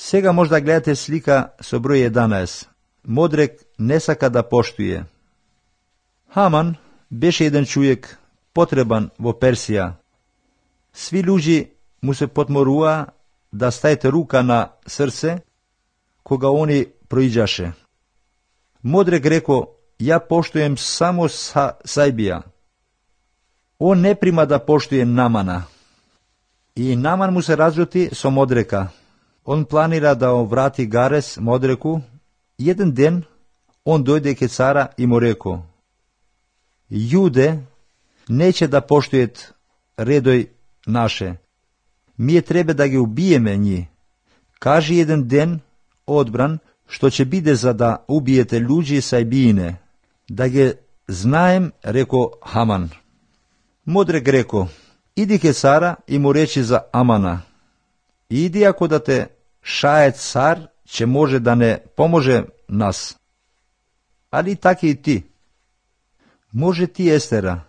Сега може да гледате слика со број 11. Модрек не сака да поштуе. Хаман беше еден човек потребан во Персија. Сви луѓи му се потморуваа да ставите рука на срце кога они проиđаше. Модрек реко, ја поштуем само Сајбија. Он не прима да поштуе Намана. И Наман му се разјути со Модрека. Он планира да врати гарес Модреку. Еден ден он дојде ке цара и му реко: Јуде неće да поштует редој наше. Мие треба да ги убиеме њи. Кажи еден ден одбран што ќе биде за да убиете луѓе Сајбиине. Да ги знаем, реко Хаман. Модрек реко: иди ке цара и му речи за Амана. Иди, ако да те шае цар, ќе може да не поможе нас. Али така и ти. Може ти, Естера,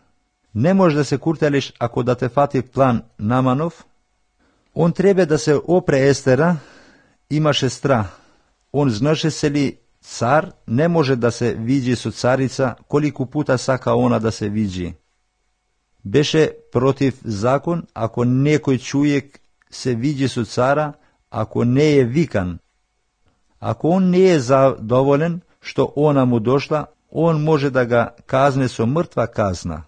не може да се куртелиш ако да те фати план Наманов. Он треба да се опре Естера, имаше страх. Он знаше се ли цар не може да се види со царица колику пута сака она да се види. Беше против закон ако некој човек се види со цара, ако не е викан. Ако он не е задоволен што она му дошла, он може да га казне со мртва казна.